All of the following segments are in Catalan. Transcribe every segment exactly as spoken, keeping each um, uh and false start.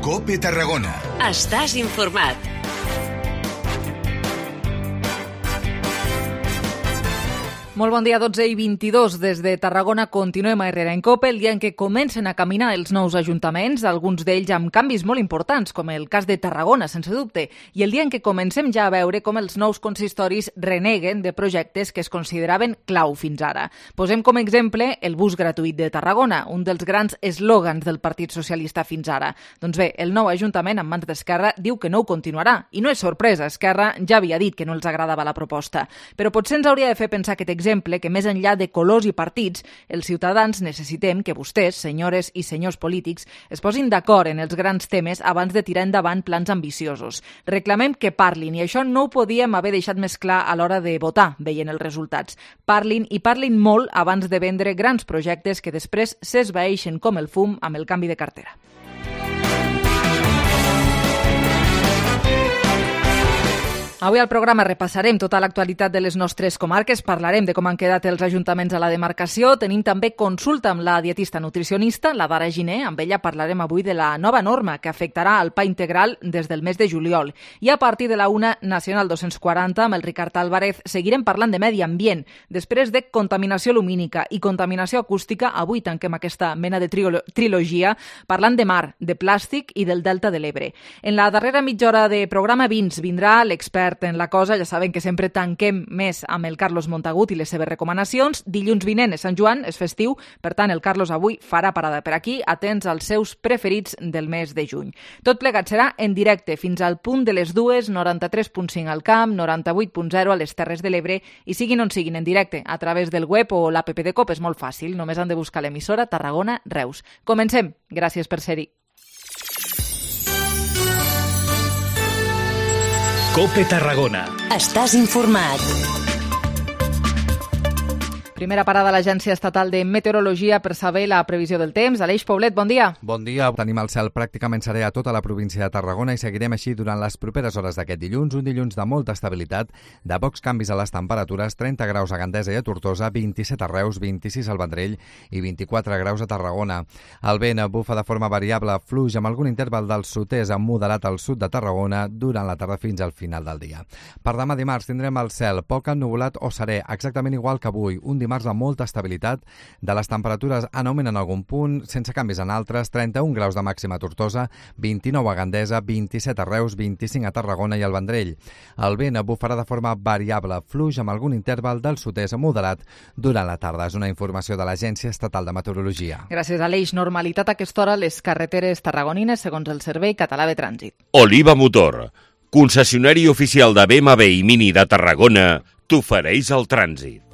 COPE Tarragona. Estàs informat. Molt bon dia, dotze i vint-i-dos. Des de Tarragona continuem a Herrera en COPE, el dia en què comencen a caminar els nous ajuntaments, alguns d'ells amb canvis molt importants, com el cas de Tarragona, sense dubte, i el dia en què comencem ja a veure com els nous consistoris reneguen de projectes que es consideraven clau fins ara. Posem com a exemple el bus gratuït de Tarragona, un dels grans eslògans del Partit Socialista fins ara. Doncs bé, el nou ajuntament, en mans d'Esquerra, diu que no ho continuarà. I no és sorpresa, Esquerra ja havia dit que no els agradava la proposta. Però potser ens hauria de fer pensar aquest exemple que més enllà de colors i partits, els ciutadans necessitem que vostès, senyores i senyors polítics, es posin d'acord en els grans temes abans de tirar endavant plans ambiciosos. Reclamem que parlin, i això no ho podíem haver deixat més clar a l'hora de votar, veient els resultats. Parlin i parlin molt abans de vendre grans projectes que després s'esvaeixen com el fum amb el canvi de cartera. Avui al programa repassarem tota l'actualitat de les nostres comarques, parlarem de com han quedat els ajuntaments a la demarcació, tenim també consulta amb la dietista nutricionista, la Dara Giner, amb ella parlarem avui de la nova norma que afectarà el pa integral des del mes de juliol. I a partir de la una Nacional dos-cents quaranta, amb el Ricard Álvarez, seguirem parlant de medi ambient. Després de contaminació lumínica i contaminació acústica, avui tanquem aquesta mena de trio- trilogia parlant de mar, de plàstic i del Delta de l'Ebre. En la darrera mitja hora de programa Vins vindrà l'expert en la cosa, ja saben que sempre tanquem més amb el Carlos Montagut i les seves recomanacions. Dilluns vinent és Sant Joan, és festiu, per tant el Carlos avui farà parada per aquí, atents als seus preferits del mes de juny. Tot plegat serà en directe fins al punt de les dues, noranta-tres punt cinc al Camp, noranta-vuit punt zero a les Terres de l'Ebre, i siguin on siguin en directe, a través del web o l'app de COPE, és molt fàcil, només han de buscar l'emissora Tarragona Reus. Comencem, gràcies per ser-hi. COPE Tarragona. Estàs informat. Primera parada a l'Agència Estatal de Meteorologia per saber la previsió del temps. Aleix Poblet, bon dia. Bon dia. Tenim el cel pràcticament serè a tota la província de Tarragona i seguirem així durant les properes hores d'aquest dilluns. Un dilluns de molta estabilitat, de pocs canvis a les temperatures, trenta graus a Gandesa i a Tortosa, vint-i-set a Reus, vint-i-sis al Vendrell i vint-i-quatre graus a Tarragona. El vent bufa de forma variable, fluix amb algun interval del sud-est amb moderat al sud de Tarragona durant la tarda fins al final del dia. Per demà dimarts tindrem el cel poc ennuvolat o serè, exactament igual que avui. Un dimarts de molta estabilitat, de les temperatures en augment en algun punt, sense canvis en altres, trenta-un graus de màxima a Tortosa, vint-i-nou a Gandesa, vint-i-set a Reus, vint-i-cinc a Tarragona i al Vendrell. El vent bufarà de forma variable, fluix amb algun interval del sud-est moderat durant la tarda. És una informació de l'Agència Estatal de Meteorologia. Gràcies, Aleix. Normalitat a aquesta hora a les carreteres tarragonines, segons el Servei Català de Trànsit. Oliva Motor, concessionari oficial de B M W i Mini de Tarragona, t'ofereix el trànsit.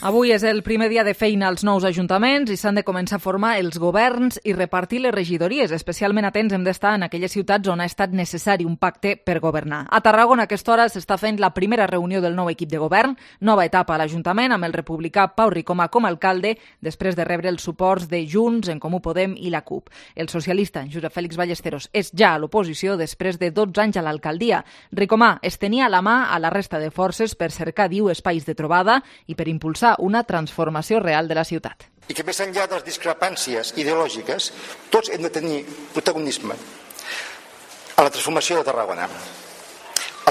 Avui és el primer dia de feina als nous ajuntaments i s'han de començar a formar els governs i repartir les regidories. Especialment atents hem d'estar en aquelles ciutats on ha estat necessari un pacte per governar. A Tarragona a aquesta hora s'està fent la primera reunió del nou equip de govern, nova etapa a l'Ajuntament amb el republicà Pau Ricomà com a alcalde, després de rebre els suports de Junts, En Comú Podem i la CUP. El socialista Josep Fèlix Ballesteros és ja a l'oposició després de dotze anys a l'alcaldia. Ricomà es tenia a la mà a la resta de forces per cercar, diu, espais de trobada i per impulsar una transformació real de la ciutat. I que més enllà de les discrepàncies ideològiques, tots hem de tenir protagonisme a la transformació de Tarragona.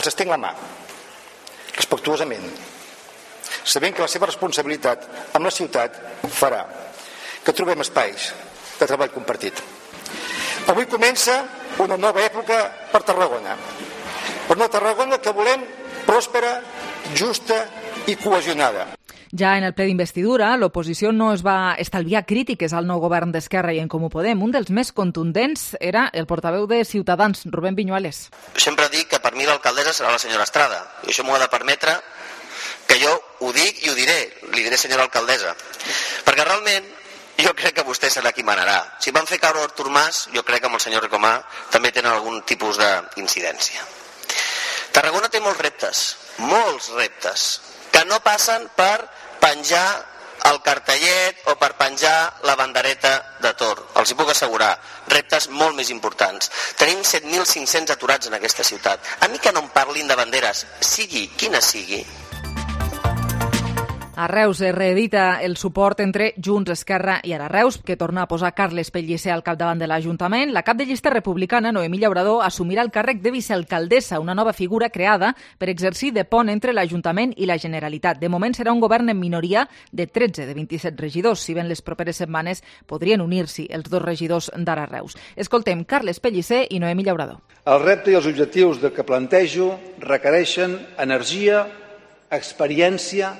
Els estenc la mà, respectuosament, sabent que la seva responsabilitat amb la ciutat farà que trobem espais de treball compartit. Avui comença una nova època per Tarragona, per una Tarragona que volem pròspera, justa i cohesionada. Ja en el ple d'investidura, l'oposició no es va estalviar crítiques al nou govern d'Esquerra i En Comú Podem. Un dels més contundents era el portaveu de Ciutadans, Rubén Viñuales. Sempre dic que per mi l'alcaldessa serà la senyora Estrada, i això m'ho ha de permetre que jo ho dic i ho diré, li diré senyora alcaldessa, perquè realment jo crec que vostè serà qui manarà. Si van fer caure Artur Mas, jo crec que amb el senyor Ricomà també tenen algun tipus d'incidència. Tarragona té molts reptes, molts reptes, que no passen per penjar el cartellet o per penjar la bandereta de Tor. Els hi puc assegurar, reptes molt més importants. Tenim set mil cinc-cents aturats en aquesta ciutat. A mi que no em parlin de banderes, sigui quina sigui. A Reus es reedita el suport entre Junts, Esquerra i ara Reus, que torna a posar Carles Pellicer al capdavant de l'Ajuntament. La cap de llista republicana, Noemí Llaurador, assumirà el càrrec de vicealcaldessa, una nova figura creada per exercir de pont entre l'Ajuntament i la Generalitat. De moment serà un govern en minoria de tretze de vint-i-set regidors, si ben les properes setmanes podrien unir-s'hi els dos regidors d'ara Reus. Escoltem Carles Pellicer i Noemí Llaurador. El repte i els objectius que plantejo requereixen energia, experiència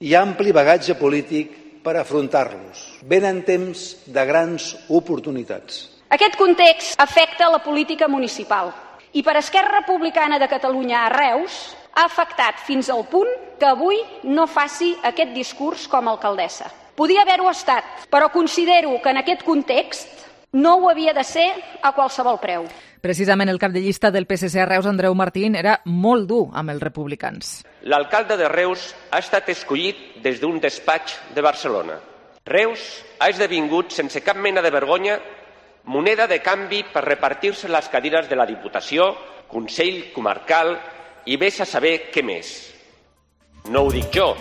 i ampli bagatge polític per afrontar-los. Venen temps de grans oportunitats. Aquest context afecta la política municipal i per Esquerra Republicana de Catalunya a Reus ha afectat fins al punt que avui no faci aquest discurs com a alcaldessa. Podia haver-ho estat, però considero que en aquest context no ho havia de ser a qualsevol preu. Precisament el cap de llista del P S C a Reus, Andreu Martín, era molt dur amb els republicans. L'alcalde de Reus ha estat escollit des d'un despatx de Barcelona. Reus ha esdevingut, sense cap mena de vergonya, moneda de canvi per repartir-se les cadires de la Diputació, Consell Comarcal i vés a saber què més. No ho dic jo,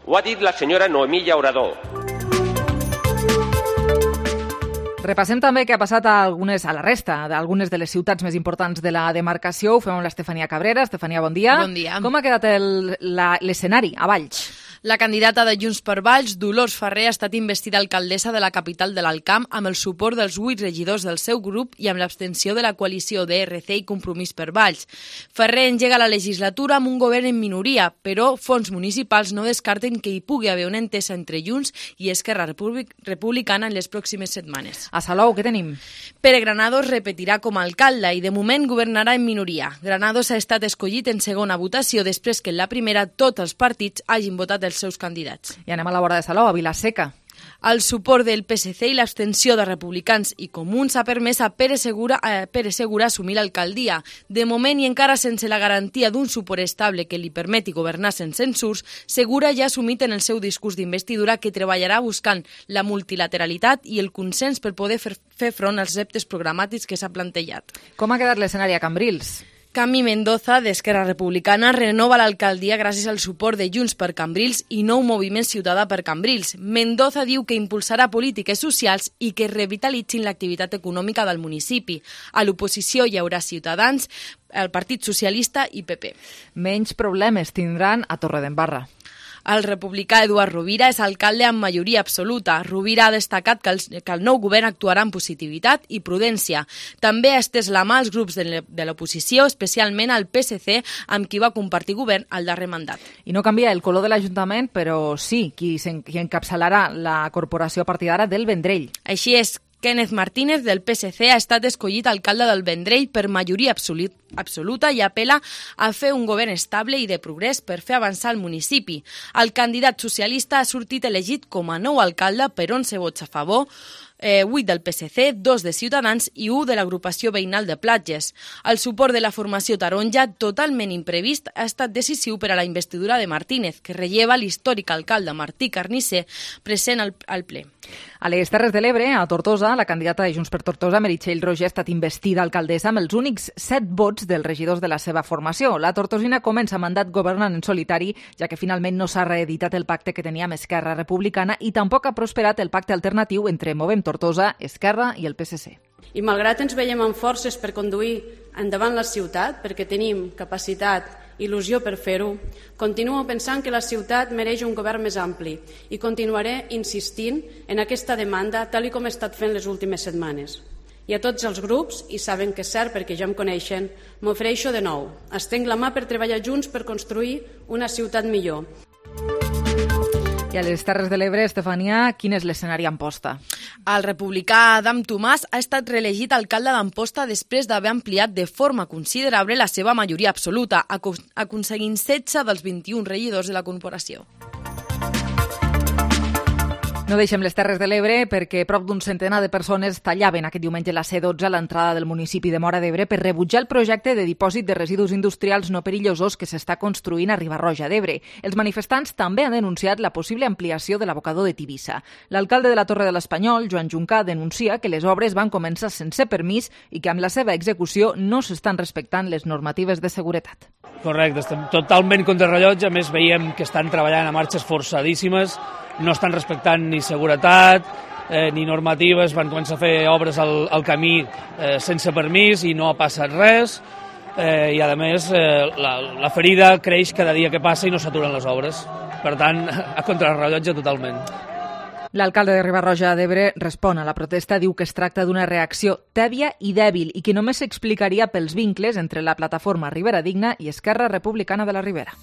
ho ha dit la senyora Noemí Llaurador. Repassem també què ha passat a, algunes, a la resta d'algunes de les ciutats més importants de la demarcació. Ho fem amb l'Estefania Cabrera. Estefania, bon dia. Bon dia. Com ha quedat l'escenari a Valls? La candidata de Junts per Valls, Dolors Ferrer, ha estat investida alcaldessa de la capital de l'Alcamp amb el suport dels vuit regidors del seu grup i amb l'abstenció de la coalició D R C i Compromís per Valls. Ferrer engega la legislatura amb un govern en minoria, però fons municipals no descarten que hi pugui haver una entesa entre Junts i Esquerra Republicana en les pròximes setmanes. A Salou, què tenim? Pere Granados repetirà com a alcalde i de moment governarà en minoria. Granados ha estat escollit en segona votació després que en la primera tots els partits hagin votat els seus candidats. I anem a la vora de Salou, a Vila-seca. El suport del P S C i l'abstenció de republicans i comuns ha permès a Pere Segura, eh, Pere Segura assumir l'alcaldia. De moment, i encara sense la garantia d'un suport estable que li permeti governar sense censurs, Segura ja ha assumit en el seu discurs d'investidura que treballarà buscant la multilateralitat i el consens per poder fer, fer front als reptes programàtics que s'ha plantejat. Com ha quedat l'escenari a Cambrils? Cami Mendoza, d'Esquerra Republicana, renova l'alcaldia gràcies al suport de Junts per Cambrils i Nou Moviment Ciutadà per Cambrils. Mendoza diu que impulsarà polítiques socials i que revitalitzin l'activitat econòmica del municipi. A l'oposició hi haurà Ciutadans, el Partit Socialista i P P. Menys problemes tindran a Torredembarra. El republicà Eduard Rovira és alcalde amb majoria absoluta. Rovira ha destacat que el, que el nou govern actuarà amb positivitat i prudència. També ha estès la mà als grups de l'oposició, especialment al P S C, amb qui va compartir govern al darrer mandat. I no canvia el color de l'Ajuntament, però sí qui, qui encapçalarà la corporació a partir d'ara del Vendrell. Així és. Kenneth Martínez, del P S C, ha estat escollit alcalde del Vendrell per majoria absolut, absoluta i apela a fer un govern estable i de progrés per fer avançar el municipi. El candidat socialista ha sortit elegit com a nou alcalde per onze vots a favor, Eh, vuit del P S C, dos de Ciutadans i un de l'agrupació veïnal de Platges. El suport de la formació taronja, totalment imprevist, ha estat decisiu per a la investidura de Martínez, que relleva l'històric alcalde Martí Carnisser, present al, al ple. A les Terres de l'Ebre, a Tortosa, la candidata de Junts per Tortosa, Meritxell Roger, ha estat investida alcaldessa amb els únics set vots dels regidors de la seva formació. La tortosina comença mandat governant en solitari, ja que finalment no s'ha reeditat el pacte que tenia amb Esquerra Republicana i tampoc ha prosperat el pacte alternatiu entre Movem Tortosa, Esquerra i el P S C. I malgrat ens veiem amb forces per conduir endavant la ciutat, perquè tenim capacitat, il·lusió per fer-ho, continuo pensant que la ciutat mereix un govern més ampli i continuaré insistint en aquesta demanda tal com he estat fent les últimes setmanes. I a tots els grups, i saben que és cert perquè ja em coneixen, m'ofereixo de nou. Estenc la mà per treballar junts per construir una ciutat millor. I a les Terres de l'Ebre, Estefania, quin és l'escenari a Amposta? El republicà Adam Tomàs ha estat reelegit alcalde d'Amposta després d'haver ampliat de forma considerable la seva majoria absoluta, aconseguint setze dels vint-i-un regidors de la corporació. No deixem les Terres de l'Ebre perquè prop d'un centenar de persones tallaven aquest diumenge a la C dotze a l'entrada del municipi de Móra d'Ebre per rebutjar el projecte de dipòsit de residus industrials no perillosos que s'està construint a Riba-roja d'Ebre. Els manifestants també han denunciat la possible ampliació de l'abocador de Tivissa. L'alcalde de la Torre de l'Espanyol, Joan Juncà, denuncia que les obres van començar sense permís i que amb la seva execució no s'estan respectant les normatives de seguretat. Correcte, estem totalment contrarrellotge, a més veiem que estan treballant a marxes forçadíssimes, no estan respectant ni seguretat eh, ni normatives, van començar a fer obres al, al camí eh, sense permís i no ha passat res, eh, i a més eh, la, la ferida creix cada dia que passa i no s'aturen les obres. Per tant, a contrarrellotge totalment. L'alcalde de Riba-roja d'Ebre respon a la protesta, diu que es tracta d'una reacció tèbia i dèbil i que només s'explicaria pels vincles entre la plataforma Ribera Digna i Esquerra Republicana de la Ribera.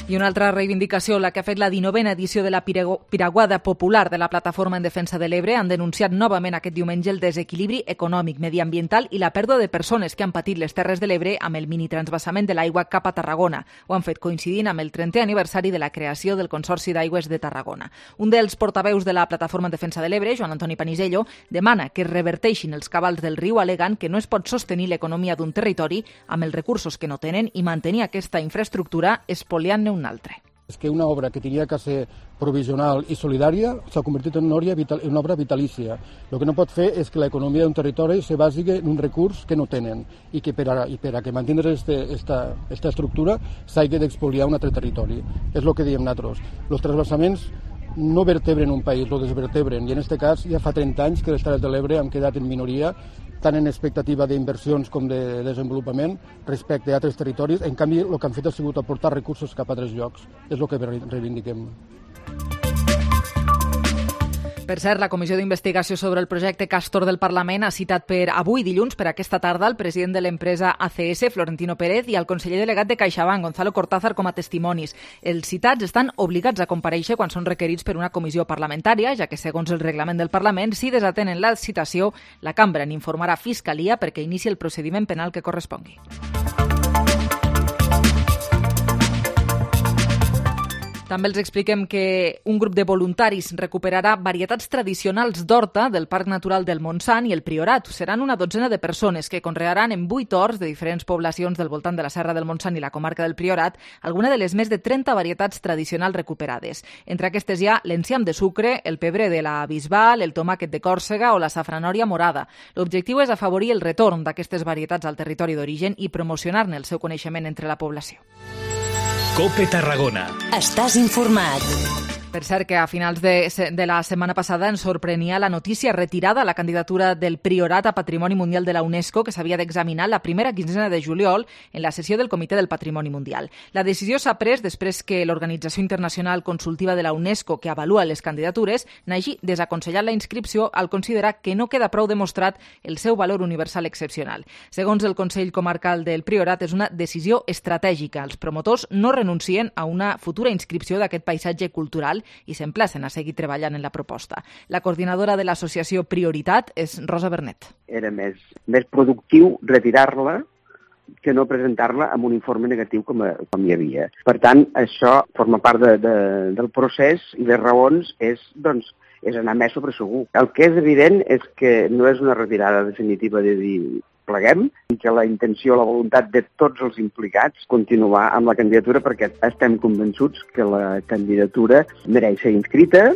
I una altra reivindicació, la que ha fet la dinovena edició de la Piraguada Popular de la Plataforma en Defensa de l'Ebre, han denunciat novament aquest diumenge el desequilibri econòmic, mediambiental i la pèrdua de persones que han patit les Terres de l'Ebre amb el minitransvasament de l'aigua cap a Tarragona. Ho han fet coincidint amb el trentè aniversari de la creació del Consorci d'Aigües de Tarragona. Un dels portaveus de la Plataforma en Defensa de l'Ebre, Joan Antoni Panisello, demana que es reverteixin els cabals del riu, alegant que no es pot sostenir l'economia d'un territori amb els recursos que no tenen i mantenir aquesta infraestructura espoliant-ne un altre. És que una obra que tenia que ser provisional i solidària s'ha convertit en una obra, vital, en una obra vitalícia. El que no pot fer és que l'economia d'un territori se basi en un recurs que no tenen i que per a, i per a que mantindre aquesta estructura s'hagi d'expoliar un altre territori. És el que diem nosaltres. Els transvasaments no vertebren un país, lo desvertebren, i en aquest cas ja fa trenta anys que les Terres de l'Ebre han quedat en minoria, tant en expectativa d'inversions com de desenvolupament respecte a altres territoris. En canvi, el que han fet ha sigut aportar recursos cap a altres llocs. És el que reivindiquem. Per cert, la Comissió d'Investigació sobre el projecte Castor del Parlament ha citat per avui dilluns, per aquesta tarda, el president de l'empresa A C S, Florentino Pérez, i el conseller delegat de CaixaBank, Gonzalo Cortázar, com a testimonis. Els citats estan obligats a comparèixer quan són requerits per una comissió parlamentària, ja que, segons el reglament del Parlament, si desatenen la citació, la cambra n'informarà Fiscalia perquè inici el procediment penal que correspongui. També els expliquem que un grup de voluntaris recuperarà varietats tradicionals d'horta del Parc Natural del Montsant i el Priorat. Seran una dotzena de persones que conrearan en vuit horts de diferents poblacions del voltant de la Serra del Montsant i la comarca del Priorat alguna de les més de trenta varietats tradicionals recuperades. Entre aquestes hi ha l'enciam de sucre, el pebre de la Bisbal, el tomàquet de Còrsega o la safranòria morada. L'objectiu és afavorir el retorn d'aquestes varietats al territori d'origen i promocionar-ne el seu coneixement entre la població. Cope Tarragona. Estàs informat. Per cert, que a finals de, de la setmana passada ens sorprenia la notícia retirada a la candidatura del Priorat a Patrimoni Mundial de la UNESCO que s'havia d'examinar la primera quinzena de juliol en la sessió del Comitè del Patrimoni Mundial. La decisió s'ha pres després que l'Organització Internacional Consultiva de la UNESCO, que avalua les candidatures, n'hagi desaconsellat la inscripció al considerar que no queda prou demostrat el seu valor universal excepcional. Segons el Consell Comarcal del Priorat, és una decisió estratègica. Els promotors no renuncien a una futura inscripció d'aquest paisatge cultural i s'emplacen a seguir treballant en la proposta. La coordinadora de l'associació Prioritat és Rosa Bernet. Era més, més productiu retirar-la que no presentar-la amb un informe negatiu com, a, com hi havia. Per tant, això forma part de, de, del procés i les raons és, doncs, és anar més sobre segur. El que és evident és que no és una retirada definitiva de dir pleguem i que la intenció, la voluntat de tots els implicats continuar amb la candidatura perquè estem convençuts que la candidatura mereix ser inscrita.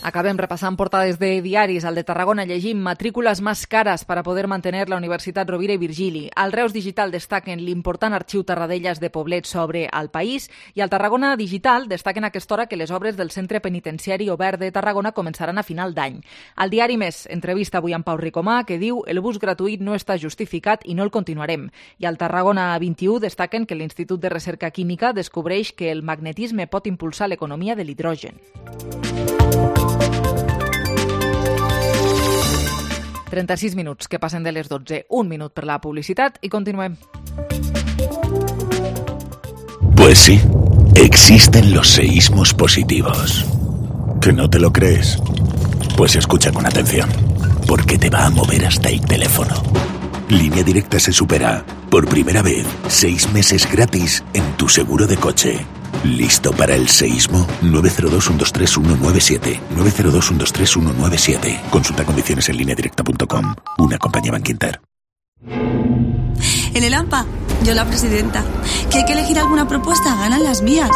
Acabem repassant portades de diaris. Al de Tarragona llegim matrícules més cares per a poder mantenir la Universitat Rovira i Virgili. Al Reus Digital destaquen l'important arxiu Tarradellas de Poblet sobre el país i al Tarragona Digital destaquen a aquesta hora que les obres del Centre Penitenciari Obert de Tarragona començaran a final d'any. Al diari Més, entrevista avui amb Pau Ricomà, que diu el bus gratuït no està justificat i no el continuarem. I al Tarragona vint-i-u destaquen que l'Institut de Recerca Química descobreix que el magnetisme pot impulsar l'economia de l'hidrogen. trenta-sis minuts que passen de les dotze. Un minut per la publicitat i continuem. Pues sí, existen los seísmos positivos. ¿Que no te lo crees? Pues escucha con atención, porque te va a mover hasta el teléfono. Línea Directa se supera. Por primera vez, seis meses gratis en tu seguro de coche. ¿Listo para el seísmo? nueve cero dos, uno dos tres, uno nueve siete. nueve cero dos, uno dos tres, uno nueve siete. Consulta condiciones en línea directa punto com. Una compañía Bankinter. En el AMPA, yo la presidenta. ¿Que hay que elegir alguna propuesta? Ganan las mías.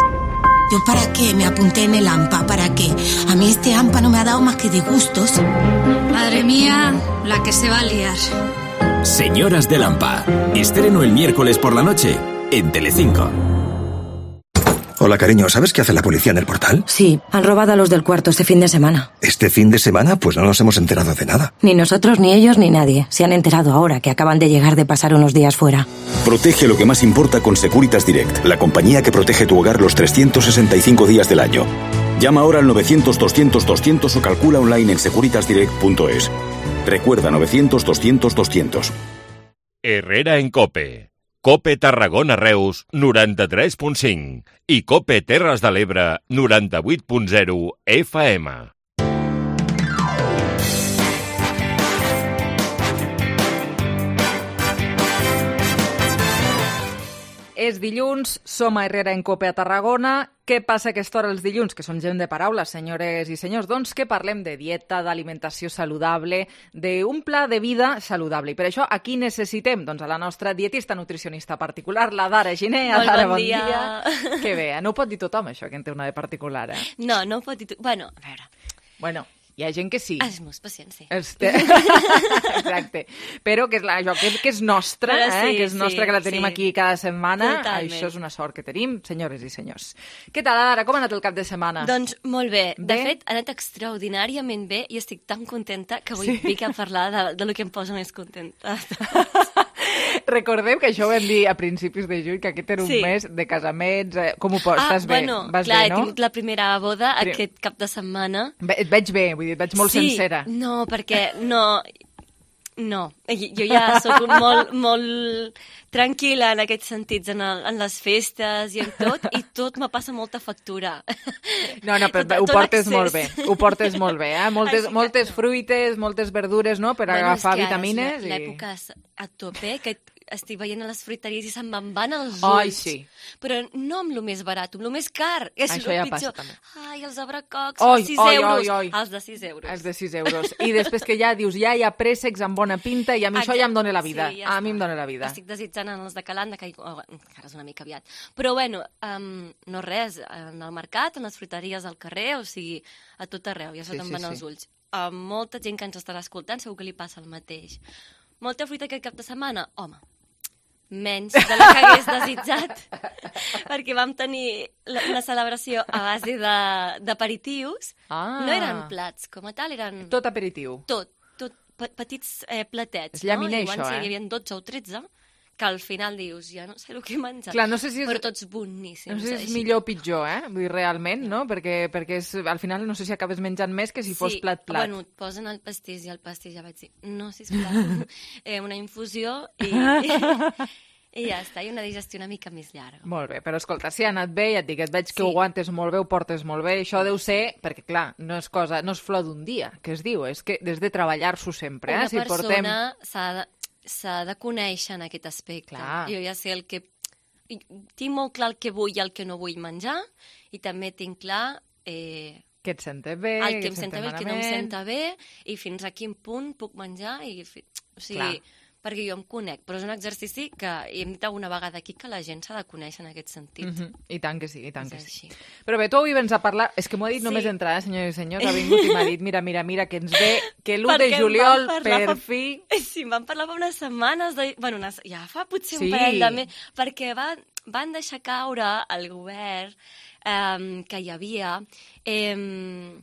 ¿Yo para qué me apunté en el AMPA? ¿Para qué? A mí este AMPA no me ha dado más que disgustos. Madre mía, la que se va a liar. Señoras del AMPA. Estreno el miércoles por la noche en Telecinco. Hola, cariño, ¿sabes qué hace la policía en el portal? Sí, han robado a los del cuarto este fin de semana. ¿Este fin de semana? Pues no nos hemos enterado de nada. Ni nosotros, ni ellos, ni nadie. Se han enterado ahora que acaban de llegar de pasar unos días fuera. Protege lo que más importa con Securitas Direct, la compañía que protege tu hogar los trescientos sesenta y cinco días del año. Llama ahora al novecientos, doscientos, doscientos o calcula online en securitas direct punto es. Recuerda novecientos, doscientos, doscientos. Herrera en COPE. COPE Tarragona Reus noranta-tres punt cinc i COPE Terres de l'Ebre noranta-vuit punt zero F M. És dilluns, som a Herrera en COPE a Tarragona. Què passa a aquesta hora els dilluns? Que són gent de paraules, senyores i senyors. Doncs que parlem de dieta, d'alimentació saludable, d'un pla de vida saludable. I per això a qui necessitem? Doncs a la nostra dietista nutricionista particular, la Dara Giner. Molt Dara, bon bon dia. dia. Que bé, no ho pot dir tothom això, que en té una de particular, eh? No, no ho pot dir tothom. Bueno, a veure... Bueno... Hi ha gent que sí. Els meus pacients, sí. Este... Exacte. Però que és, la, això, que, que és nostra, Però sí, eh? que és nostra, sí, que la tenim sí. aquí cada setmana. Totalment. Això és una sort que tenim, senyores i senyors. Què tal, Ara? Com ha anat el cap de setmana? Doncs molt bé. Bé? De fet, ha anat extraordinàriament bé i estic tan contenta que avui Sí? vinc a parlar de, de lo que em posa més contenta. Recordem que això ho vam dir a principis de juny, que aquest era un Sí. mes de casaments. Eh, com ho pots? Ah, Estàs bé? bueno, Vas clar, bé, no? he tingut la primera boda Pri- aquest cap de setmana. Ve- Et veig bé, vull dir, et veig molt sí, sencera. No, perquè no... No, jo ja sóc molt, molt tranquil·la en aquests sentits, en, el, en les festes i en tot, i tot me passa molta factura. No, no, però Tot- ho tot portes l'excés. molt bé, ho portes molt bé, eh? Moltes, Així que moltes fruites, moltes verdures, no?, per Bueno, agafar és que ara vitamines. és i... l'època és a tope, que estic veient a les fruiteries i se'n me'n van els ulls. Ai, sí. Però no amb lo més barat, amb lo més car. És Això lo ja pitjor. passa, també. Ai, els abracocs, Oi, els sis oi, euros. oi, oi. Els de sis euros. Els de sis euros. I després que ja dius, ja hi ha préssecs amb bona pinta i a mi això ja em dona la vida. Sí, ja a mi em està. dona la vida. Estic desitjant en els de Calanda, que oh, encara és una mica aviat. Però bueno, um, no res, en el mercat, en les fruiteries al carrer, o sigui, a tot arreu, ja se Sí, te'n sí, van sí. els ulls. A molta gent que ens estarà escoltant segur que li passa el mateix. Molta fruita aquest cap de setmana? Home, menys de la que hagués desitjat, perquè vam tenir la- una celebració a base de- d'aperitius. Ah. No eren plats com a tal, eren... Tot aperitiu. Tot, tot pe- petits eh, platets. És llaminer, no? I això, ser, eh? Hi havia dotze o tretze, que al final dius, ja no sé el que he menjat. Clar, no sé si és- Però tots boníssims. No sé si és així. millor o pitjor, eh? Vull dir, realment, no? Perquè, perquè és, al final no sé si acabes menjant més que si fos plat-plat. Bueno, et posen el pastís i el pastís ja vaig dir, no, sisplau, eh, una infusió i, i ja està, i una digestió una mica més llarga. Molt bé, però escolta, si ha anat bé, ja et dic, et veig que Sí. ho aguantes molt bé, ho portes molt bé, això deu ser, perquè clar, no és cosa, no és flor d'un dia, que es diu, és que des de treballar-s'ho sempre, eh? Una Si persona portem... s'ha de, s'ha de conèixer en aquest aspecte. Clar. Jo ja sé el que... Tinc molt clar el que vull i el que no vull menjar, i també tinc clar... Eh, Que et senta bé, el que que em et senta senta bé, el que no em malament. senta bé, i fins a quin punt puc menjar, i, fi- o sigui, Clar. perquè jo em conec, però és un exercici que hem dit alguna vegada aquí que la gent s'ha de conèixer en aquest sentit. Mhm. I tant que sí, i tant És que sí. així. Però bé, tu avui vens a parlar... És que m'ho ha dit Sí. només entrar, eh, senyors i senyors, ha vingut i m'ha dit, mira, mira, mira, que ens ve, que l'u de Perquè em juliol, van parlar per fa- fi... Sí, em van parlar fa unes setmanes, de... bueno, unes... ja fa potser Sí. un parell de mesos, perquè van, van deixar caure el govern eh, que hi havia, eh,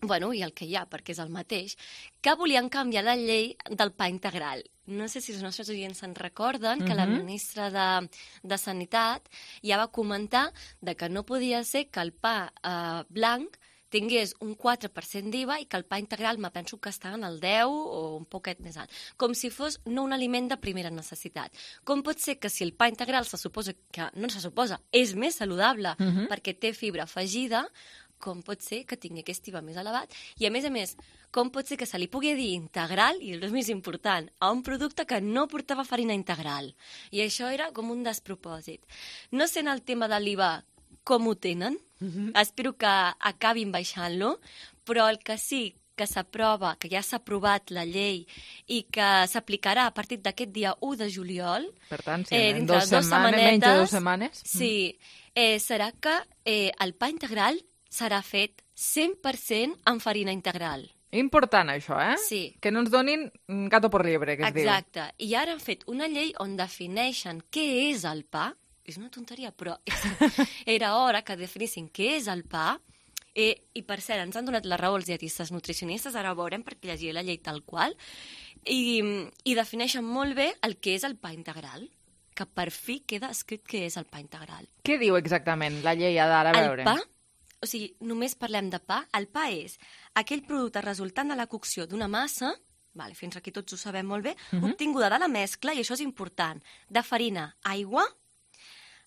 bueno, i el que hi ha, perquè és el mateix, que volien canviar la llei del pa integral. No sé si els nostres oients se'n recorden que la Mhm. ministra de, de Sanitat ja va comentar de que no podia ser que el pa eh, blanc tingués un quatre per cent d'I V A i que el pa integral me penso que està en el deu o un poquet més alt. Com si fos no un aliment de primera necessitat. Com pot ser que si el pa integral se suposa que, no se suposa, és més saludable Mhm. perquè té fibra afegida, com pot ser que tingui aquest I V A més elevat i, a més a més, com pot ser que se li pugui dir integral, i el més important, a un producte que no portava farina integral. I això era com un despropòsit. No sé en el tema de l'I V A com ho tenen, mm-hmm. espero que acabin baixant-lo, però el que sí que s'aprova, que ja s'ha aprovat la llei i que s'aplicarà a partir d'aquest dia u de juliol, per tant, sí, eh, en dos setmanes, menys de dues setmanes, sí, eh, serà que eh, el pa integral serà fet cent per cent amb farina integral. Important, això, eh? Sí. Que no ens donin gato por liebre, que es diu. Exacte. I ara han fet una llei on defineixen què és el pa. És una tonteria, però era hora que definissin què és el pa. Eh, I, per cert, ens han donat la raó els dietistes nutricionistes, ara ho veurem perquè llegiré la llei tal qual, i, i defineixen molt bé el que és el pa integral, que per fi queda escrit què és el pa integral. Què diu exactament la llei d'ara? A veure. El pa, o sigui, només parlem de pa, el pa és aquell producte resultant de la cocció d'una massa, vale, fins aquí tots ho sabem molt bé, uh-huh. obtinguda de la mescla, i això és important, de farina, aigua,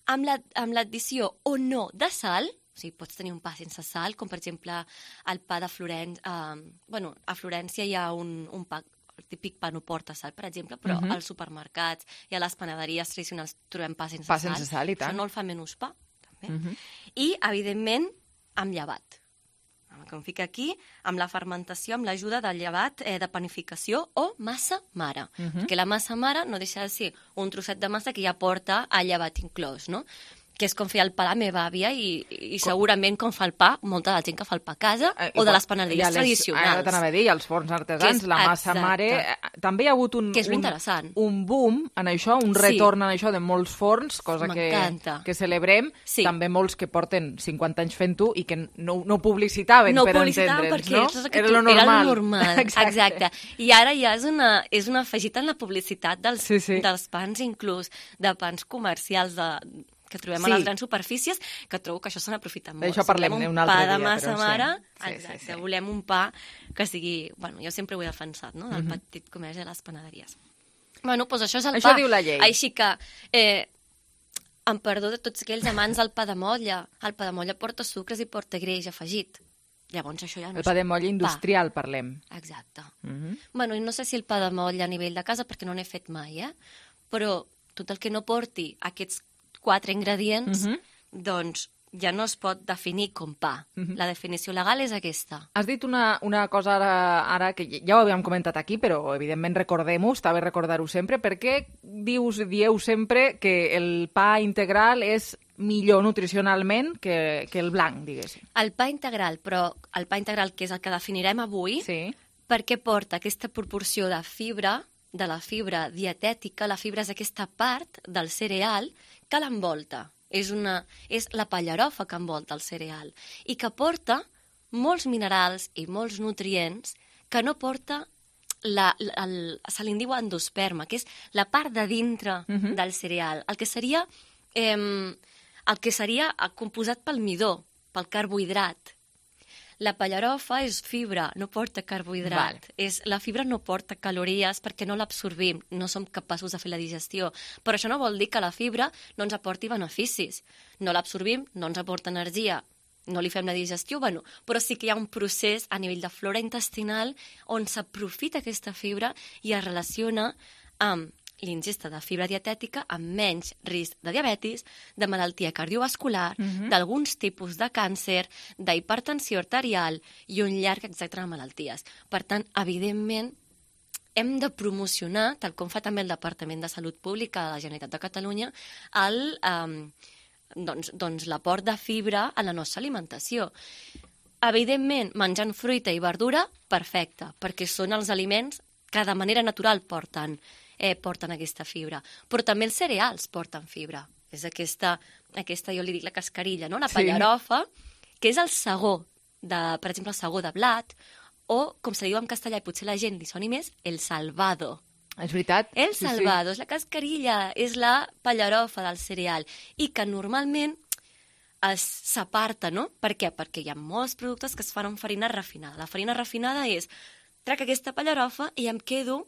amb l'addició o no de sal. O sigui, pots tenir un pa sense sal, com per exemple el pa de Florència. Eh, bueno, a Florència hi ha un, un pa, el típic pa no porta sal, per exemple, però uh-huh. als supermercats i a les panaderies tradicionals trobem pa sense pa sal. sense sal, i tant. Això no el fa menys pa, també. Uh-huh. I, evidentment, amb llevat. Com fica aquí, amb la fermentació, amb l'ajuda del llevat eh, de panificació o massa mare. Uh-huh. Perquè la massa mare no deixa de ser un trosset de massa que ja porta el llevat inclòs, no? Que és com feia el pa la meva àvia i, i segurament com fa el pa molta de la gent que fa el pa a casa eh, o de les panaderies tradicionals. Ara t'anava a dir, els forns artesans, la massa exacte. Mare... Eh, també hi ha hagut un, que és un, un boom en això, un sí. retorn en això de molts forns, cosa que, que celebrem. Sí. També molts que porten cinquanta anys fent-ho i que no, no publicitaven, no per publicitaven entendre'ns, no? Era lo normal. Era lo normal, exacte. exacte. I ara ja és una, és una afegit en la publicitat dels, sí, sí. dels pans, inclús de pans comercials de... que trobem sí. a les grans superfícies, que trobo que això se n'aprofita molt. D'això parlem un un altre pa dia. De massa però mare, sí. exacte, sí, sí, sí. volem un pa que sigui... Bueno, jo sempre ho he defensat, no?, del uh-huh. petit comerç de les panaderies. Bueno, doncs això és el això pa. Diu la llei. Així que, eh, en perdó de tots aquells amants del pa de motlla, el pa de motlla porta sucres i porta greix afegit. Llavors això ja no el pa de motlla industrial, pa. Parlem. Exacte. Uh-huh. Bueno, i no sé si el pa de motlla a nivell de casa, perquè no n'he fet mai, eh? Però tot el que no porti aquests quatre ingredients, uh-huh. doncs ja no es pot definir com pa. Uh-huh. La definició legal és aquesta. Has dit una, una cosa ara, ara que ja ho havíem comentat aquí, però evidentment recordem-ho, està bé recordar-ho sempre. Per què dius, dieu sempre que el pa integral és millor nutricionalment que, que el blanc, diguéssim? El pa integral, però el pa integral, que és el que definirem avui, sí. perquè porta aquesta proporció de fibra, de la fibra dietètica, la fibra és aquesta part del cereal que l'envolta. És, una, és la pallarofa que envolta el cereal i que porta molts minerals i molts nutrients que no porta, la, la, el, se li diu endosperma, que és la part de dintre uh-huh. del cereal, el que seria, eh, el que seria composat pel midó, pel carbohidrat. La pallarofa és fibra, no porta carbohidrat. Vale. És, la fibra no porta calories perquè no l'absorbim, no som capaços de fer la digestió. Però això no vol dir que la fibra no ens aporti beneficis. No l'absorbim, no ens aporta energia, no li fem la digestió, bueno, però sí que hi ha un procés a nivell de flora intestinal on s'aprofita aquesta fibra i es relaciona amb l'ingesta de fibra dietètica amb menys risc de diabetis, de malaltia cardiovascular, uh-huh. d'alguns tipus de càncer, d'hipertensió arterial i un llarg etcètera de malalties. Per tant, evidentment, hem de promocionar, tal com fa també el Departament de Salut Pública de la Generalitat de Catalunya, el, eh, doncs, doncs l'aport de fibra a la nostra alimentació. Evidentment, menjant fruita i verdura, perfecte, perquè són els aliments que de manera natural porten Eh, porten aquesta fibra. Però també els cereals porten fibra. És aquesta, aquesta jo li dic la cascarilla, no? La pallarofa, sí. que és el sagó, de, per exemple, el sagó de blat, o, com se li diu en castellà, i potser la gent li soni més, el salvado. És veritat. El sí, salvado, sí. és la cascarilla, és la pallarofa del cereal, i que normalment s'aparta, no? Per què? Perquè hi ha molts productes que es fan amb farina refinada. La farina refinada és, trac aquesta pallarofa i em quedo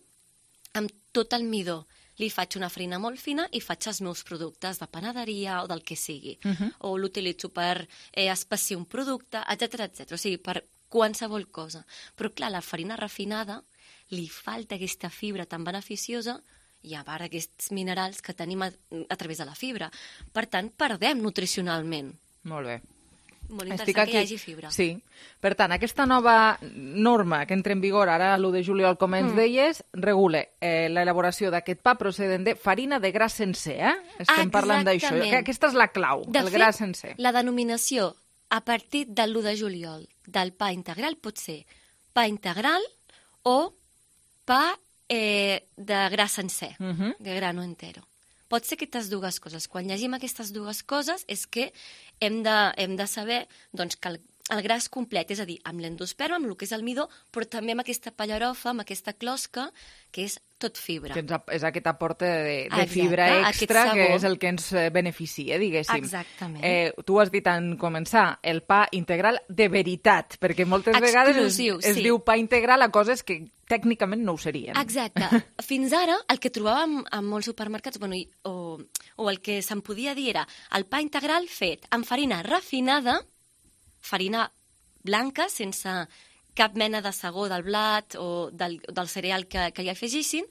amb tot el midó, li faig una farina molt fina i faig els meus productes de panaderia o del que sigui. Mhm. O l'utilitzo per eh, espessir un producte, etcètera, etcètera. O sigui, per qualsevol cosa. Però, clar, la farina refinada li falta aquesta fibra tan beneficiosa i a part aquests minerals que tenim a, a través de la fibra. Per tant, perdem nutricionalment. Molt bé. Molt Estic interessant aquí. que hi hagi fibra. Sí. Per tant, aquesta nova norma que entra en vigor ara l'u de juliol, com ens Mm. deies, regula eh, l'elaboració d'aquest pa procedent de farina de gra sencer, eh? Estem parlant d'això. Exactament. Que Aquesta és la clau, De el fet, gra sencer. la denominació a partir de l'u de juliol del pa integral pot ser pa integral o pa eh, de gra sencer, Mhm. de grano entero. Pot ser aquestes dues coses. Quan llegim aquestes dues coses és que hem de, hem de saber doncs, que el, el gra és complet, és a dir, amb l'endosperma, amb el que és el midó, però també amb aquesta pallarofa, amb aquesta closca, que és tot fibra. Que ens, ap- és aquest aporte de, de Exacte, fibra aquest extra, que sabor. és el que ens eh, beneficia, diguéssim. Exactament. Eh, tu has dit en començar el pa integral de veritat, perquè moltes vegades es, Exclusiu, es sí. diu pa integral a coses que tècnicament no ho serien. Exacte. Fins ara, el que trobàvem en molts supermercats, bueno, i- o, o el que se'n podia dir era el pa integral fet amb farina refinada, farina blanca, sense cap mena de sagó del blat o del, del cereal que, que hi afegissin,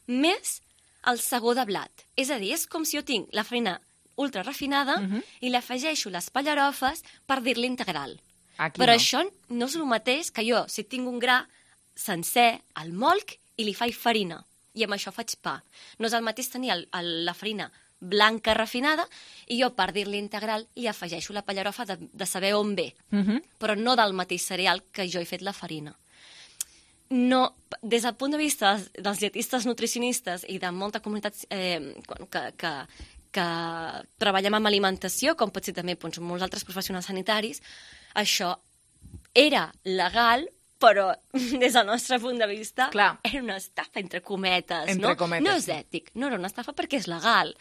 més el sagó de blat. És a dir, és com si jo tinc la farina ultra refinada Mhm. i li afegeixo les pallarofes per dir-li integral. Aquí Però no. això no és el mateix que jo, si tinc un gra sencer, el molc i li faig farina. I amb això faig pa. No és el mateix tenir el, el, la farina blanca refinada i jo, per dir-li integral, li afegeixo la pallarofa de, de saber on ve, Mhm. però no del mateix cereal que jo he fet la farina. No, des del punt de vista dels, dels dietistes nutricionistes i de molta comunitat eh, que, que, que treballem amb alimentació, com pot ser també doncs, molts altres professionals sanitaris, això era legal, però des del nostre punt de vista Clar. era una estafa, entre cometes. Entre no? cometes, no és sí. ètic, no era una estafa perquè és legal,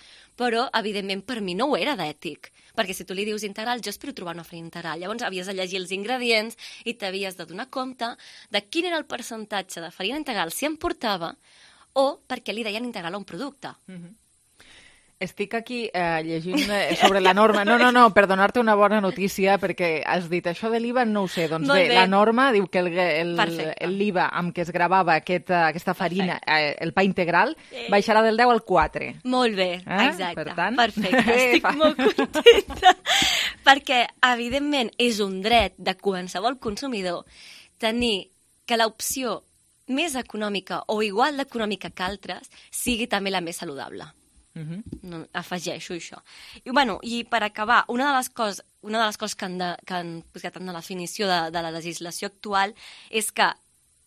però evidentment per mi no ho era d'ètic, perquè si tu li dius integral, jo espero trobar una farina integral. Llavors havies de llegir els ingredients i t'havies de donar compte de quin era el percentatge de farina integral si em portava o perquè li deien integral a un producte. Mhm. Estic aquí eh, llegint eh, sobre la norma. No, no, no, per donar-te una bona notícia, perquè has dit això de l'I V A, no ho sé. Doncs Molt bé, bé. la norma diu que el, el, Perfecte. el l'I V A amb què es gravava aquest, eh, aquesta farina, eh, el pa integral, Eh. baixarà del deu al quatre. Molt bé, Eh? exacte. Per tant, Perfecte, bé, estic fa- molt contenta. Perquè, evidentment, és un dret de qualsevol consumidor tenir que l'opció més econòmica o igual d'econòmica que altres sigui també la més saludable. Mhm. No, afegeixo això. I, bueno, i per acabar, una de les coses, una de les coses que han, de, que han posat en la definició de, de la legislació actual és que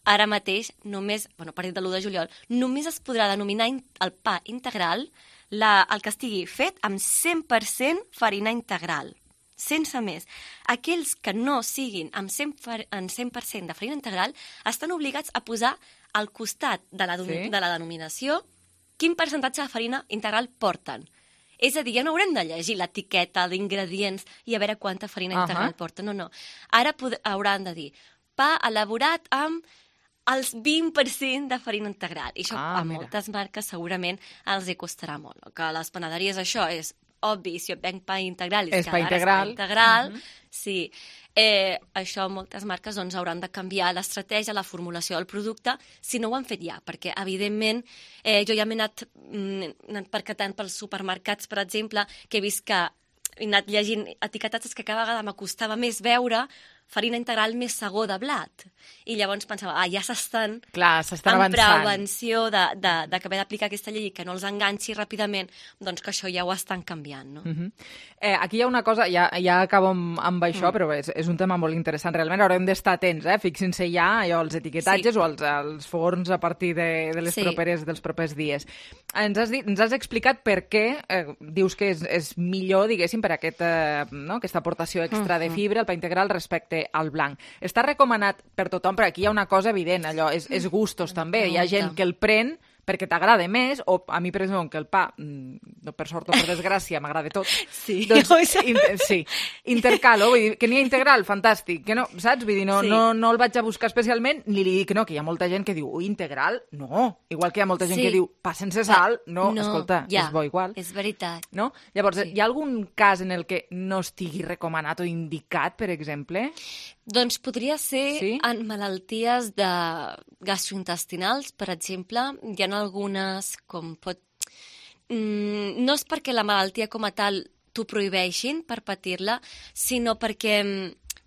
ara mateix, només, bueno, a partir de l'u de juliol, només es podrà denominar in, el pa integral la, el que estigui fet amb cent per cent farina integral, sense més. Aquells que no siguin amb cent per cent, en cent per cent de farina integral estan obligats a posar al costat de la, Sí. de la denominació quin percentatge de farina integral porten. És a dir, ja no haurem de llegir l'etiqueta d'ingredients i a veure quanta farina Ahà. integral porten. No, no. Ara pod- hauran de dir pa elaborat amb els vint per cent de farina integral. I això Ah, a mira. moltes marques segurament els hi costarà molt. Que a les panaderies això és obvi, si jo venc pa integral És que pa ara integral. és pa integral, Mhm. sí. Eh, això moltes marques doncs, hauran de canviar l'estratègia, la formulació del producte, si no ho han fet ja, perquè evidentment eh, jo ja m'he anat, mm, anat percatant pels supermercats, per exemple, que he vist que he anat llegint etiquetats que cada vegada m'acostava més veure farina integral més sagó de blat. I llavors pensava, ah, ja s'estan Clar, s'estan en avançant. prevenció de, de, de que haver d'aplicar aquesta llei i que no els enganxi ràpidament, doncs que això ja ho estan canviant, no? Mhm. eh, aquí hi ha una cosa, ja, ja acabo amb, amb això, Mm. però és, és un tema molt interessant. Realment haurem d'estar atents, eh? Fixin-se ja allò, els etiquetatges Sí. o els, els forns a partir de, de les Sí. properes, dels propers dies. Ens has, dit, ens has explicat per què eh, dius que és, és millor, diguéssim, per aquest, eh, no? aquesta aportació extra de Mhm. fibra, el pa integral, respecte al blanc. Està recomanat per tothom, però aquí hi ha una cosa evident, allò, és, és gustos també. Hi ha gent Molta. que el pren perquè t'agrada més, o a mi, per exemple, que el pa, per sort o per desgràcia, m'agrada tot. Sí, doncs, inter sí, intercalo, vull dir, que n'hi ha integral, fantàstic, que no, saps? Vull dir, no, sí. no, no el vaig a buscar especialment, ni li dic que no, que hi ha molta gent que diu, ui, integral, no. Igual que hi ha molta gent sí. que diu, pa sense sal, no, no escolta, ja, és bo igual. És veritat. No? Llavors, sí. hi ha algun cas en el que no estigui recomanat o indicat, per exemple? Doncs podria ser sí? en malalties de gastrointestinals, per exemple. Hi ha algunes, com pot... Mm, no és perquè la malaltia com a tal t'ho prohibeixin per patir-la, sinó perquè,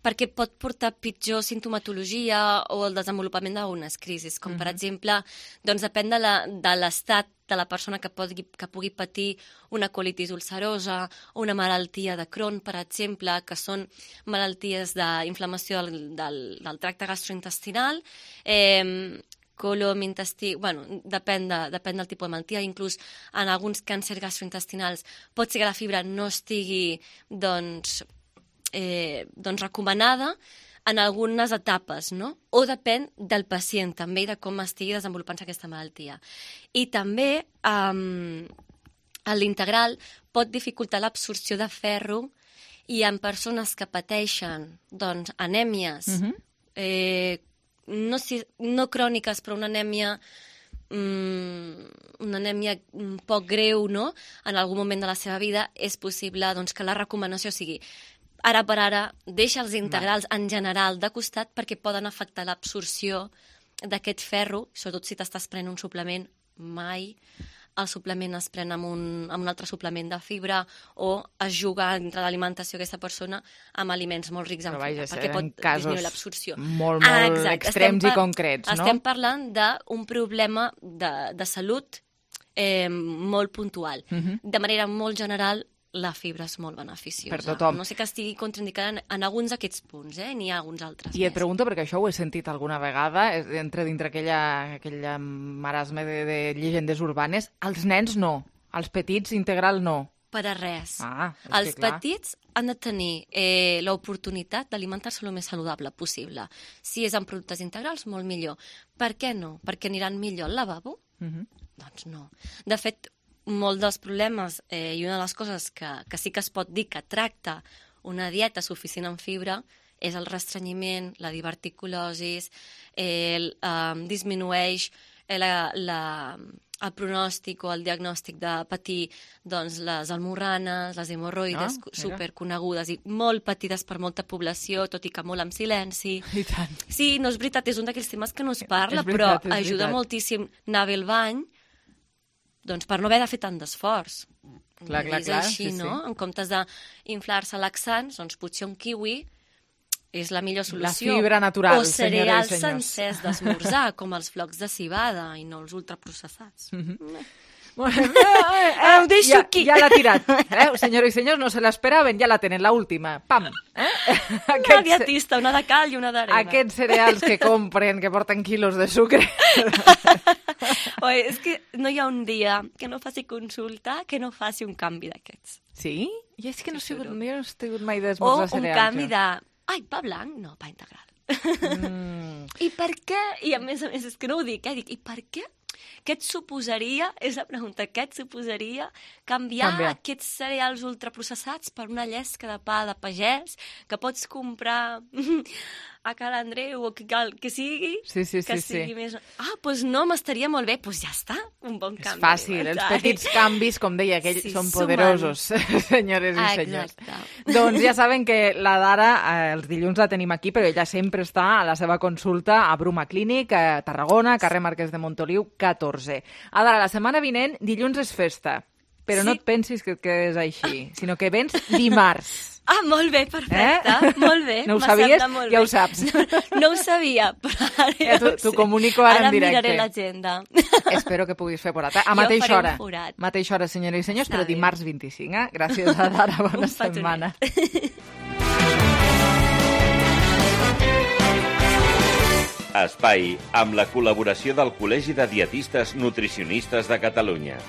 perquè pot portar pitjor sintomatologia o el desenvolupament d'algunes crisis, com uh-huh. per exemple, doncs depèn de l'estat de la persona que, pot, que pugui patir una colitis ulcerosa o una malaltia de Crohn, per exemple, que són malalties d'inflamació del, del, del tracte gastrointestinal, eh, colom, intestí... Bueno, depèn, de, depèn del tipus de malaltia. Inclús en alguns càncers gastrointestinals pot ser que la fibra no estigui doncs, eh, doncs recomanada en algunes etapes, no? O depèn del pacient també i de com estigui desenvolupant-se aquesta malaltia. I també um, l'integral pot dificultar l'absorció de ferro i en persones que pateixen doncs, anèmies, uh-huh. eh, no, si, no cròniques, però una anèmia, mm, una anèmia poc greu, no? En algun moment de la seva vida, és possible doncs, que la recomanació sigui ara per ara, deixa els integrals en general de costat perquè poden afectar l'absorció d'aquest ferro, sobretot si t'estàs prenent un suplement, mai el suplement es pren amb un, amb un altre suplement de fibra o es juga entre l'alimentació d'aquesta persona amb aliments molt rics en fibra, perquè pot disminuir l'absorció. Molt, molt ah, exacte. extrems estem i concrets, no? Estem parlant d'un problema de, de salut eh, molt puntual. Uh-huh. De manera molt general, la fibra és molt beneficiosa. Per tothom. No sé que estigui contraindicada en, en alguns d'aquests punts, eh? N'hi ha alguns altres. I et més. pregunto, perquè això ho he sentit alguna vegada, entre dintre aquella, aquella marasme de, de llegendes urbanes, els nens no, els petits integral no. Per a res. Ah, els petits han de tenir eh, l'oportunitat d'alimentar-se el més saludable possible. Si és amb productes integrals, molt millor. Per què no? Perquè aniran millor al lavabo? Uh-huh. Doncs no. De fet, molts dels problemes eh, i una de les coses que, que sí que es pot dir que tracta una dieta suficient en fibra és el restrenyiment, la diverticulosis, eh, el, eh, disminueix la, la, el pronòstic o el diagnòstic de patir doncs, les almorranes, les hemorroides ah, superconegudes i molt patides per molta població, tot i que molt en silenci. I tant. Sí, no és veritat, és un d'aquells temes que no es parla, veritat, però ajuda veritat. moltíssim anar bé al bany, doncs per no haver de fer tant d'esforç. Clar, clar, clar. És així, sí, no? sí. En comptes d'inflar-se laxants, doncs potser un kiwi és la millor solució. La fibra natural, o cereals sencers d'esmorzar, com els flocs de cibada i no els ultraprocessats. Mm-hmm. Bueno, eh, eh, ho deixo ja, aquí. Ja l'ha tirat. Eh? Senyores i senyors, no se l'esperaven, ja la tenen, la última. Pam. Eh? Una dietista, una de cal i una d'arena. Aquests cereals que compren, que porten quilos de sucre. Oi, és que no hi ha un dia que no faci consulta que no faci un canvi d'aquests. Sí? I és que no, sí, sigut, no he sigut mai d'esmorzar cereals. O un canvi de... Ai, pa blanc? No, pa integral. Mm. I per què? I a més a més, és que no ho dic, eh? Dic, i per què? Què et suposaria, és la pregunta, què et suposaria canviar, canviar aquests cereals ultraprocessats per una llesca de pa de pagès que pots comprar a Cal Andreu o que, cal, que sigui, sí, sí, que sí, sigui sí. més... Ah, doncs no, m'estaria molt bé, doncs ja està, un bon canvi. És fàcil, els petits canvis, com deia aquell, sí, són poderosos, senyores i ah, senyors. Exacte. Doncs ja saben que la Dara, eh, els dilluns la tenim aquí, però ella sempre està a la seva consulta a Bruma Clínic, a Tarragona, carrer Marquès de Montoliu, catorze. Ara, la setmana vinent, dilluns és festa, però sí. no et pensis que et quedes així, sinó que vens dimarts. Ah, molt bé, perfecte, eh? molt bé. No ho sabies? Ja ho saps. No, no ho sabia, però ara ja t'ho ja comunico ara, ara en directe. Ara miraré l'agenda. Espero que puguis fer forat. A mateixa hora. Mateixa hora, senyores i senyors, Està però dimarts vint-i-cinc, eh? Gràcies a Dara, bona setmana. Espai amb la col·laboració del Col·legi de Dietistes Nutricionistes de Catalunya.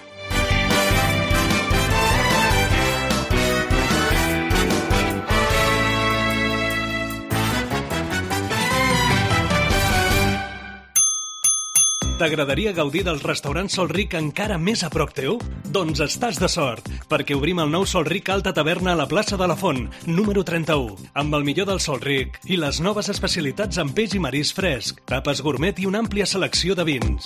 T'agradaria gaudir del restaurant Sol Ric encara més a prop teu? Doncs estàs de sort, perquè obrim el nou Sol Ric Alta Taverna a la plaça de la Font, número trenta-u, amb el millor del Sol Ric i les noves especialitats en peix i marisc fresc, tapes gourmet i una àmplia selecció de vins.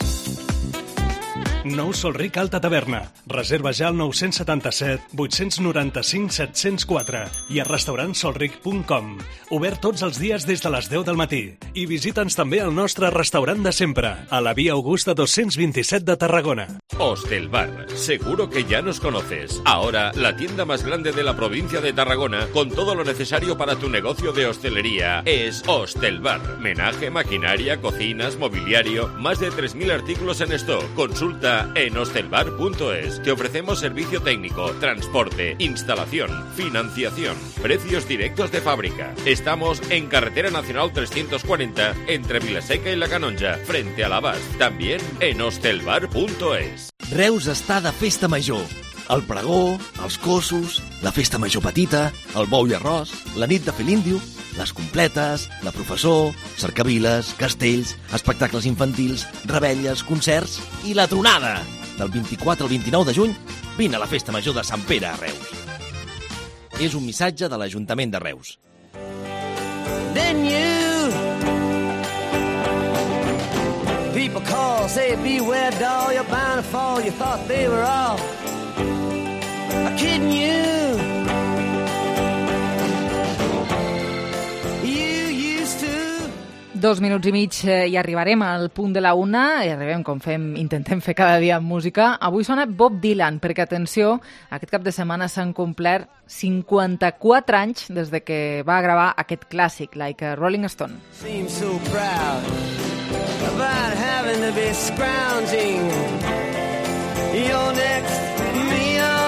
Nou Sol Ric Alta Taverna. Reserva ja al nou setanta-set vuit nou cinc set zero quatre i a restaurant solric punt com. Obert tots els dies des de les deu del matí. I visita'ns també al nostre restaurant de sempre, a la via Augusta doscientos veintisiete de Tarragona. Hostelbar, seguro que ya nos conoces. Ahora, la tienda más grande de la provincia de Tarragona, con todo lo necesario para tu negocio de hostelería, es Hostelbar. Menaje, maquinaria, cocinas, mobiliario, más de tres mil artículos en stock. Consulta en hostelbar punto es. Te ofrecemos servicio técnico, transporte, instalación, financiación, precios directos de fábrica. Estamos en Carretera Nacional trescientos cuarenta, entre Vilaseca y La Canonja, frente a l'Abast. También en hostelbar punto es. Reus està de festa major. El pregó, els cossos, la festa major petita, el bou i arròs, la nit de fer l'índio, les completes, la professor, cercaviles, castells, espectacles infantils, rebelles, concerts i la tronada. Del vint-i-quatre al vint-i-nou de juny, vine a la festa major de Sant Pere a Reus. És un missatge de l'Ajuntament de Reus. Then you people call, say beware doll, you're bound to fall, you thought they were all I'm kidding you. You used to. Dos minuts i mig i arribarem al punt de la una, i arribem com fem, intentem fer cada dia amb música. Avui sona Bob Dylan, perquè, atenció, aquest cap de setmana s'han complert cinquanta-quatre anys des de que va gravar aquest clàssic, Like a Rolling Stone. Seems so proud about having to be scrounging your next meal.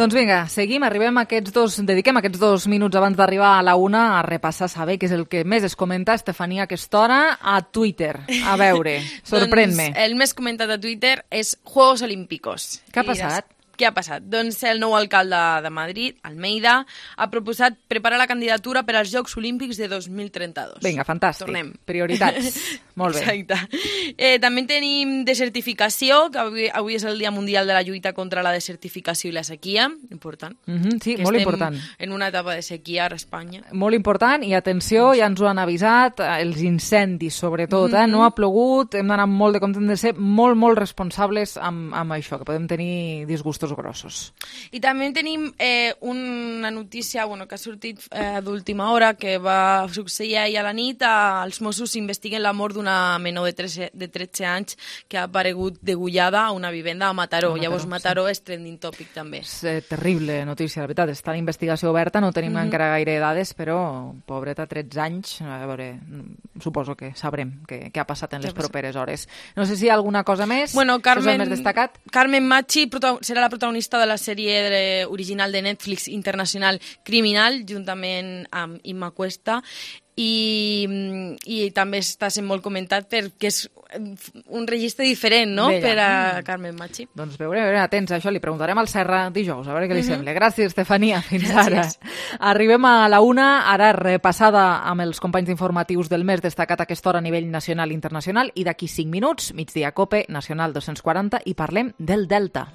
Doncs vinga, seguim, arribem a aquests dos, dediquem aquests dos minuts abans d'arribar a la una a repassar, saber què és el que més es comenta, Estefania, a aquesta hora, a Twitter. A veure, sorprèn-me. Doncs el més comentat a Twitter és Juegos Olímpicos. Què ha passat? Què ha passat? Doncs el nou alcalde de Madrid, Almeida, ha proposat preparar la candidatura per als Jocs Olímpics de dos mil trenta-dos. Vinga, fantàstic. Tornem. Prioritats. Molt bé. Exacte. Eh, també tenim desertificació, que avui, avui és el Dia Mundial de la Lluita contra la Desertificació i la Sequia. Important. Mm-hmm, sí, molt important. En una etapa de sequia a Espanya. Molt important, i atenció, ja ens ho han avisat, els incendis, sobretot. Mm-hmm. eh? No ha plogut, hem d'anar molt de compte, hem de ser molt, molt responsables amb, amb això, que podem tenir disgustos grossos. I també tenim eh, una notícia bueno, que ha sortit eh, d'última hora, que va succeir ahir a la nit. A, els Mossos investiguen la mort d'una menor de tretze, de tretze anys que ha aparegut degollada a una vivenda a Mataró. A Mataró Llavors Mataró sí. És trending topic també. És eh, terrible notícia, la veritat. Està l'investigació oberta, no tenim mm-hmm. encara gaire dades, però pobreta, tretze anys, a veure, suposo que sabrem què, què ha passat en les properes hores. No sé si hi ha alguna cosa més. Bueno, Carmen, és el més destacat. Carmen Machi serà la protagonista de la sèrie de, original de Netflix internacional Criminal, juntament amb Imma Cuesta, i, i també està sent molt comentat perquè és un registre diferent, no?, Bella. Per a Carmen Machi. Doncs veurem, veurem, atents a això, li preguntarem al Serra dijous, a veure què li uh-huh. sembla. Gràcies, Estefania, fins Gràcies. Ara. Arribem a la una, ara repassada amb els companys informatius del més destacat a aquesta hora a nivell nacional i internacional, i d'aquí cinc minuts, migdia Cope, Nacional dos cents quaranta, i parlem del Delta.